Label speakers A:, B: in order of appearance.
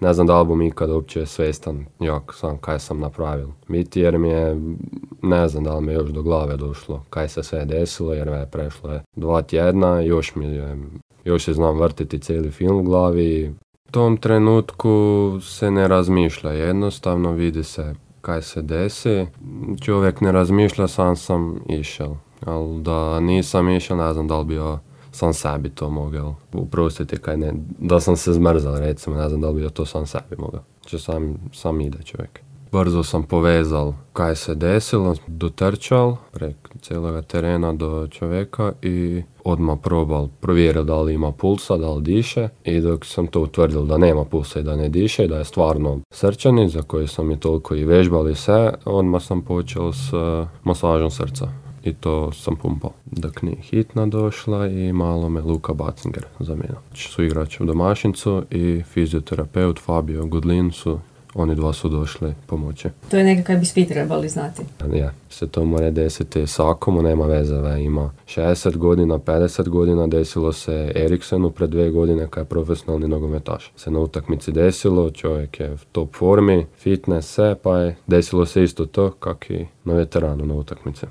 A: Ne znam da li bom ikad uopće svjestan kaj sam napravil. Biti jer mi je, ne znam da li mi je još do glave došlo kaj se sve desilo, jer je prešlo je 2 tjedna, još se znam vrtiti cijeli film u glavi. U tom trenutku se ne razmišlja, jednostavno vidi se kaj se desi. Čovjek ne razmišlja, sam išel. Ali da nisam išel, ne znam da li bi sam sebi to mogao uprostiti kaj ne, da sam se zmrzal recimo, ne znam da li bi to sam sebi mogao. Sam ide čovjek. Brzo sam povezal kaj se desilo, dotrčal prek cijeloga terena do čovjeka i odmah provjerio da li ima pulsa, da li diše, i dok sam to utvrdil da nema pulsa i da ne diše, da je stvarno srčani, za koji sam i toliko i vežbali sve, odmah sam počeo s masažom srca. I to sam pumpao. Dok nije hitna došla i malo me Luka Bacinger zamijenio. Su igrač u domašincu i fizioterapeut Fabio Gudlin oni dva su došli pomoći.
B: To je nekako kaj bi svi trebali znati.
A: Ja, se to mora desiti svakomu, nema veze, ima 60 godina, 50 godina, desilo se Eriksenu pred 2 godine kad je profesionalni nogometaš. Se na utakmici desilo, čovjek je v top formi, fitness, sve, pa je desilo se isto to kak i na veteranu na utakmici.